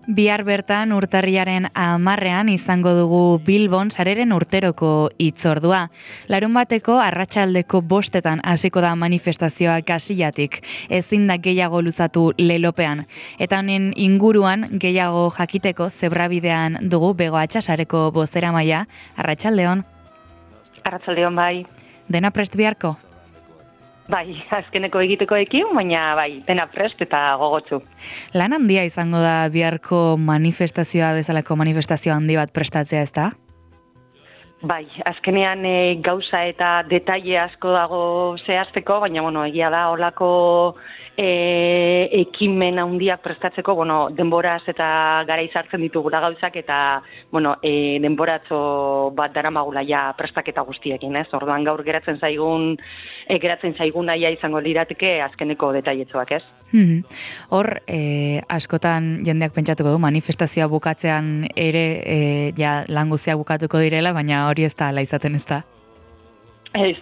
Bihar bertan urtarriaren 10ean izango dugu Bilbon sareren urteroko hitzordua. Larunbateko arratsaldeko 5etan hasiko da manifestazioa Kasillatik. Ezin da gehiago luzatu lelopean. Eta honen inguruan gehiago jakiteko zebrabidean dugu Bego Atxasareko bozeramailea. Arratsaldeon. Arratsaldeon bai. Dena prest biharko? Bai, azkeneko egitekoekin, baina bai, dena prest eta gogotsu. Lan handia izango da biharko manifestazioa bezalako manifestazio handi bat prestatzea, ez da? Bai, azkenean gauza eta detaile asko dago zehazteko, baina egia da holako ekimen handiak prestatzeko, denboraz eta garaiz hartzen ditugula gauzak eta denboratxo bat daramagula ja prestaketa guztiekin, ez? Orduan gaur geratzen zaigun naia izango lirateke azkeneko detailetxoak, ez? Hor, askotan jendeak pentsatuko du, manifestazioa bukatzean ere lan guztiak bukatuko direla, baina hori ez da ala izaten, ez da? Ez,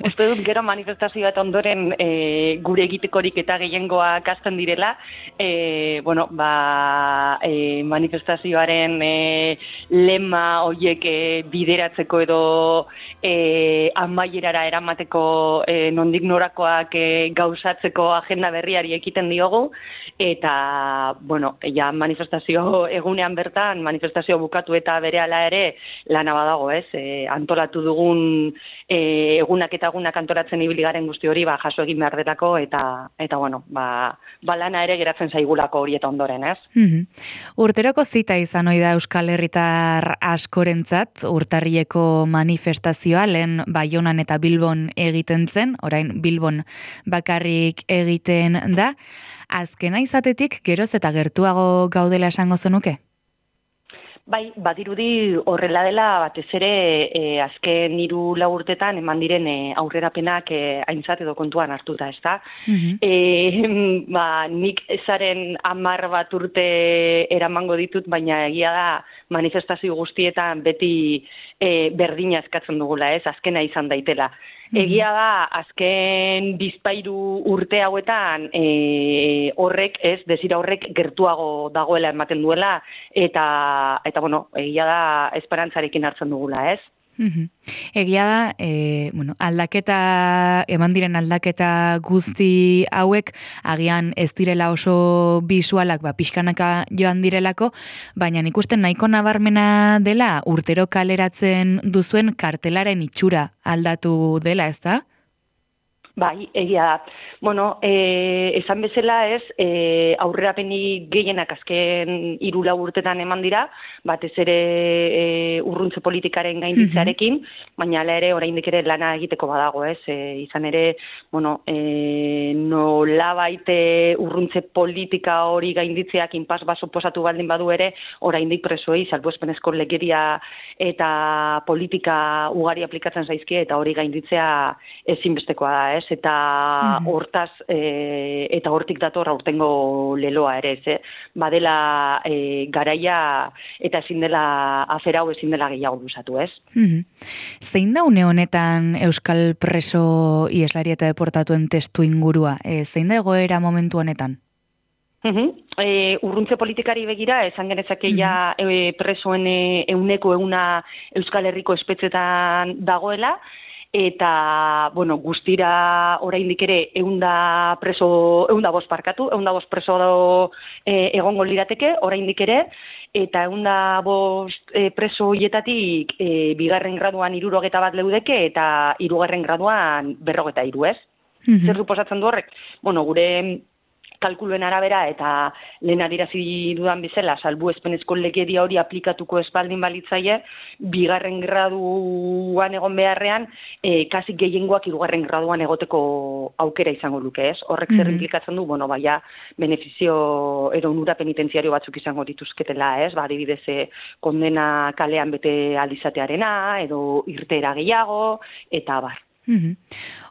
uste dut gero manifestazioa eta ondoren gure egitekorik eta gehiengoak hasten direla, manifestazioaren lema horiek bideratzeko edo amaierara eramateko nondik norakoak gauzatzeko agenda berriari ekiten diogu, eta, manifestazio egunean bertan, manifestazio bukatu eta berehala ere lana badago, ez? Antolatu dugun egunak eta egunak antolatzen ibili garen guzti hori jaso egin behar delako eta lana ere geratzen zaigulako hori eta ondoren, ez? Urteroko zita izan ohi da Euskal Herritar askorentzat, urtarrieko manifestazioa lehen Baionan eta Bilbon egiten zen, orain Bilbon bakarrik egiten da. Azkena izatetik geroz eta gertuago gaudela esango zenuke? Bai, badirudi horrela dela batez ere azken 3-4 urtetan eman diren aurrerapenak aintzat edo kontuan hartuta, ezta? Nik ezaren 10 bat urte eramango ditut, baina egia da manifestazio guztietan beti berdina eskatzen dugula, ez? Azkena izan daitela. Egia da, azken 2-3 urte hauetan desira horrek gertuago dagoela ematen duela, eta egia da esperantzarekin hartzen dugula, ez? Egia da, eman diren aldaketa guzti hauek, agian ez direla oso bisualak, pixkanaka joan direlako, baina ikusten nahiko nabarmena dela urtero kaleratzen duzuen kartelaren itxura aldatu dela, ez da? Bai, egia da. Esan bezala ez, aurrerapenik gehienak azken 3-4 urtetan eman dira, batez ere urruntze politikaren gainditzearekin, baina hala ere oraindik ere lana egiteko badago, ez? Izan ere, nolabait urruntze politika hori gainditzeak inpas bat suposatu baldin badu ere, oraindik presoei salbuespenezko legeria eta politika ugari aplikatzen zaizkie eta hori gainditzea ezinbestekoa da, ez? Eta hortaz eta hortik dator aurtengo leloa ere, ez? Badela garaia eta ezin dela afera hau ezin dela gehiago luzatu, ez? Zein da une honetan euskal preso ieslari eta deportatuen testu ingurua? Zein da egoera momentu honetan? Urruntze politikari begira, esan genezake ja presoen 100% Euskal Herriko espetxetan dagoela, eta, guztira oraindik ere 105 preso egongo lirateke, oraindik ere, eta 105 preso horietatik bigarren graduan 61 leudeke, eta 3. graduan 43, ez? Zer suposatzen du horrek? Gure kalkuluen arabera eta lehen adierazi dudan bezala salbuespenezko legedia hori aplikatuko espaldin balitzaie, bigarren graduan egon beharrean, kasi gehiengoak 3. graduan egoteko aukera izango luke, ez? Horrek zer implikatzen du, benefizio edo onura penitentziario batzuk izango dituzketela, ez? Adibidez, kondena kalean bete aldizatearena, edo irteera gehiago, eta bar.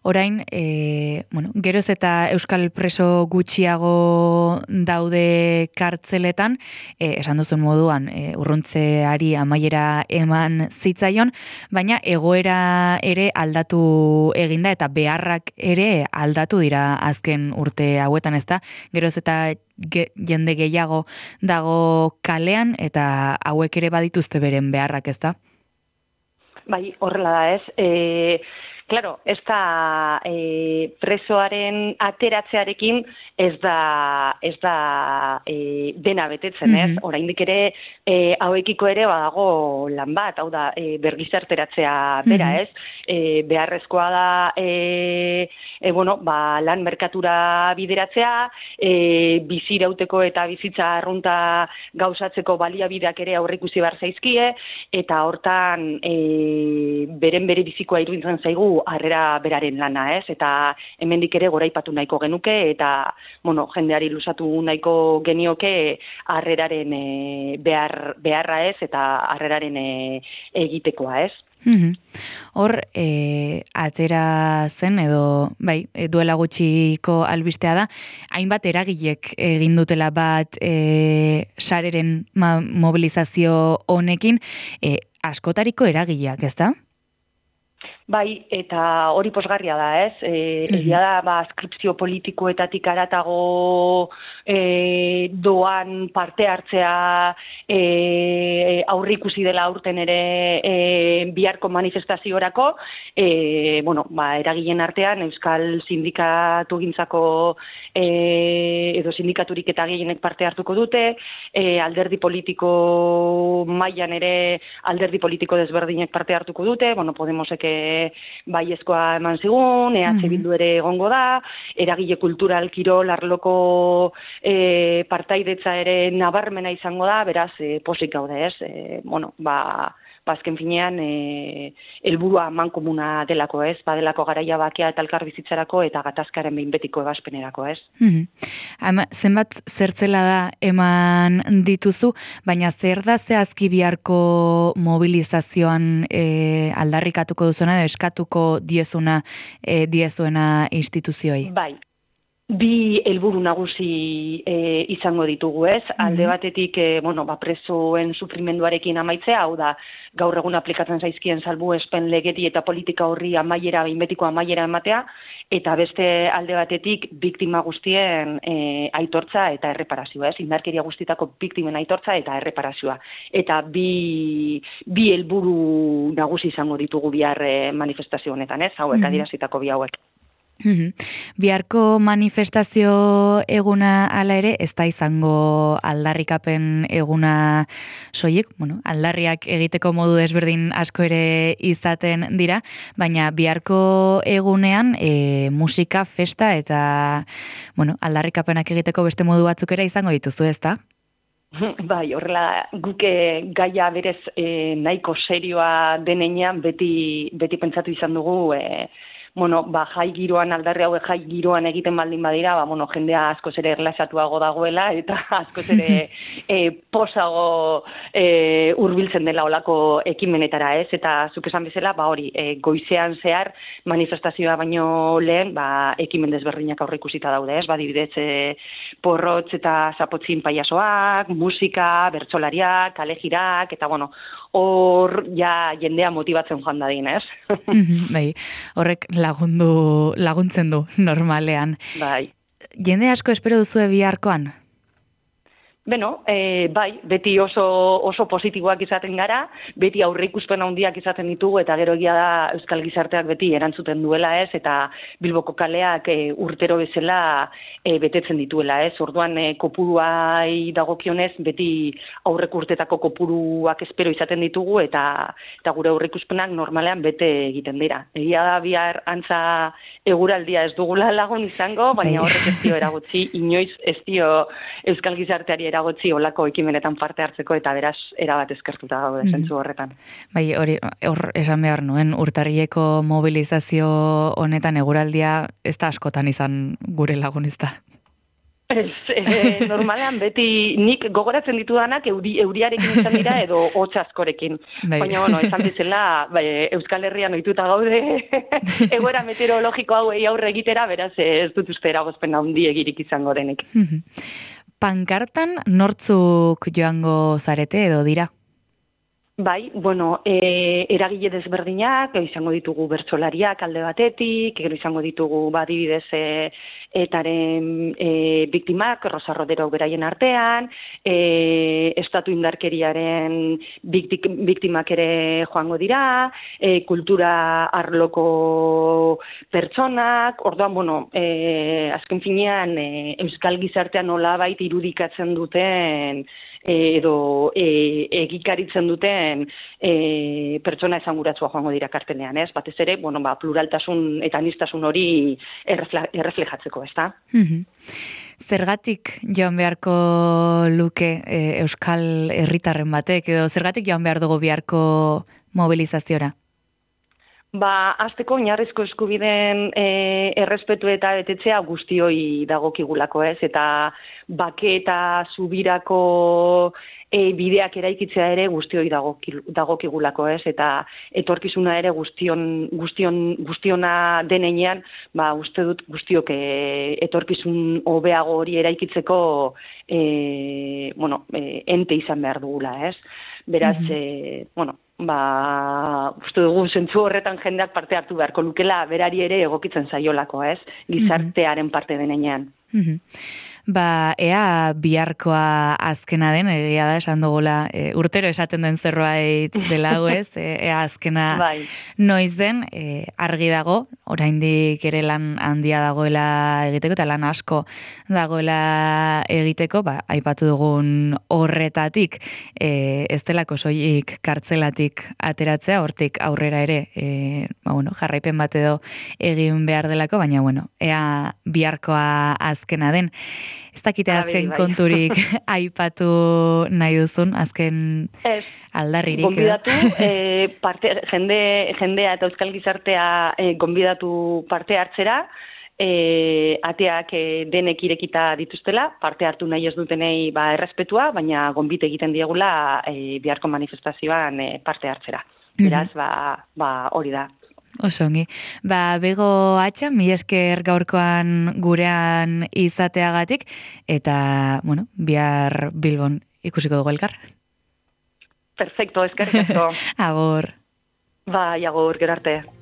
Orain, geroz eta euskal preso gutxiago daude kartzeletan, esan duzun moduan, urruntzeari amaiera eman zitzaion, baina egoera ere aldatu eginda eta beharrak ere aldatu dira azken urte hauetan, ezta? Geroz eta jende gehiago dago kalean eta hauek ere badituzte beren beharrak, ezta? Bai, horrela da, ez? Claro, ez da presoaren ateratzearekin ez da dena betetzen, ez? Oraindik ere hauekiko ere badago lan bat, hau da bergizarteratzea bera, ez? Beharrezkoa da lan merkatura bideratzea, bizirauteko eta bizitza arrunta gauzatzeko baliabideak ere aurreikusi behar zaizkie, eta hortan bere bizikoa iruditzen zaigu harrera beraren lana, ez? Eta hemendik ere goraipatu nahiko genuke eta, jendeari luzatu nahiko genioke harreraren beharra, ez? Eta harreraren egitekoa, ez? Hor, atera zen edo, duela gutxiko albistea da, hainbat eragilek egin dutela bat sareren mobilizazio honekin, askotariko eragileak, ezta? Bai, eta hori posgarria da, ez? Egia da, askripzio politikoetatik haratago doan parte hartzea aurrikusi dela aurten ere biharko manifestaziorako, eragileen artean Euskal Sindikatu gintzako edo sindikaturik eta gehienek parte hartuko dute, alderdi politiko mailan ere alderdi politiko desberdinek parte hartuko dute, Podemosek baiezkoa eman zigun, EH Bildu ere egongo da, eragile kultural kirol arloko partaidetza ere nabarmena izango da, beraz, posik gaude, ez? Azken finean, helburua mankomuna delako, ez? Badelako garaia bakea eta elkar bizitzarako eta gatazkaren behin betiko ebaspenerako, ez? Zenbat zertzela da eman dituzu, baina zer da zehazki biharko mobilizazioan aldarrikatuko duzuna edo eskatuko diezuena instituzioi? Bai. Bi helburu nagusi izango ditugu, ez? Alde batetik, presoen sufrimenduarekin amaitzea, hau da, gaur egun aplikatzen zaizkien salbuespen legedi eta politika horri amaiera, behin betiko amaiera ematea, eta beste alde batetik biktima guztien aitortza eta erreparazioa, ez? Indarkeria guztietako biktimen aitortza eta erreparazioa. Eta bi helburu nagusi izango ditugu bihar manifestazio honetan, ez? Hauek adierazitako bi hauek. Biharko manifestazio eguna hala ere, ez da izango aldarrikapen eguna soilik, aldarriak egiteko modu desberdin asko ere izaten dira, baina biharko egunean musika, festa eta aldarrikapenak egiteko beste modu batzuk ere izango dituzu, ez da? Bai, horrela guke gaia berez nahiko serioa denean beti pentsatu izan dugu jai giroan, aldarri hauek jai giroan egiten baldin badira, jendea askoz ere erlaxatuago dagoela eta askoz ere posago hurbiltzen dela olako ekimenetara, ez? Eta zuk esan bezala, goizean zehar manifestazioa baino lehen, ekimen desberdinak aurreikusita daude, ez? Adibidez, porrotz eta zapotzin paiasoak, musika, bertsolariak, kalejirak, eta hor jendea motibatzen joan dadin, ez? Bai, horrek laguntzen du normalean. Bai. Jende asko espero duzu biharkoan? Bai, beti oso positiboak izaten gara, beti aurreikuspen handiak izaten ditugu, eta gero egia da Euskal Gizarteak beti erantzuten duela, ez, eta Bilboko kaleak urtero bezala betetzen dituela, ez. Orduan kopuruai dagokionez, beti aurrek urtetako kopuruak espero izaten ditugu, eta gure aurreikuspenak normalean bete egiten dira. Egia da bihar antza eguraldia ez dugula lagun izango, baina horrek ez dio eragotzi, inoiz ez dio Euskal Gizarteari eragotzi olako ekimenetan parte hartzeko, eta beraz erabat eskertuta gaude zentzu horretan. Bai, hor esan behar nuen, urtarrileko mobilizazio honetan eguraldia ez da askotan izan gure lagun, ez da? Ez, normalean beti nik gogoratzen ditudanak euriarekin izan dira edo hotz askorekin. Bai. Baina, esan dizela, Euskal Herrian ohituta gaude egoera meteorologiko hauei aurre egitera, beraz ez dut uste eragozpen handiegirik izango denik. Pankartan nortzuk joango zarete edo dira? Bai, eragile desberdinak, izango ditugu bertsolariak alde batetik, gero izango ditugu adibidez etaren biktimak, Rosa Rodero beraien artean, estatu indarkeriaren biktimak ere joango dira, kultura arloko pertsonak, orduan, azken finean, euskal gizartean nolabait irudikatzen duten edo egikaritzen duten pertsona esanguratsua joango dira kartelean, ez? Batez ere, pluraltasun eta aniztasun hori erreflejatzeko, ezta? Zergatik joan beharko luke euskal herritarren batek, edo zergatik joan behar dugu beharko mobilizaziora? Hasteko oinarrizko eskubideen errespetu eta betetzea guztioi dagokigulako, ez? Eta bake eta zubirako bideak eraikitzea ere guztioi dagokigulako, ez? Eta etorkizuna ere guztiona denean, uste dut guztiok etorkizun hobeago hori eraikitzeko ente izan behar dugula, ez? Beraz, uste dugu zentzu horretan jendeak parte hartu beharko lukela, berari ere egokitzen zaiolako, ez? Gizartearen parte denean. Ea biharkoa azkena den, egia da, esan dugula, urtero esaten den zerbait dela ez, ea azkena noiz den, argi dago, oraindik ere lan handia dagoela egiteko, eta lan asko dagoela egiteko, aipatu dugun horretatik, ez delako soilik kartzelatik ateratzea, hortik aurrera ere, jarraipen bat edo egin behar delako, baina, ea biharkoa azkena den. Ez dakite azken konturik aipatu nahi duzun, azken aldarririk. Gonbidatu, jendea eta euskal gizartea gonbidatu parte hartzera, ateak denek irekita dituztela, parte hartu nahi ez dutenei errespetua, baina gonbite egiten diegula biharko manifestazioan parte hartzera. Beraz, hori da. Oso ongi. Bego atxa, mi esker gaurkoan gurean izateagatik, eta, bihar Bilbon ikusiko dugu elkar. Perfecto, eskerrik asko. Agur. Agur, gero arte.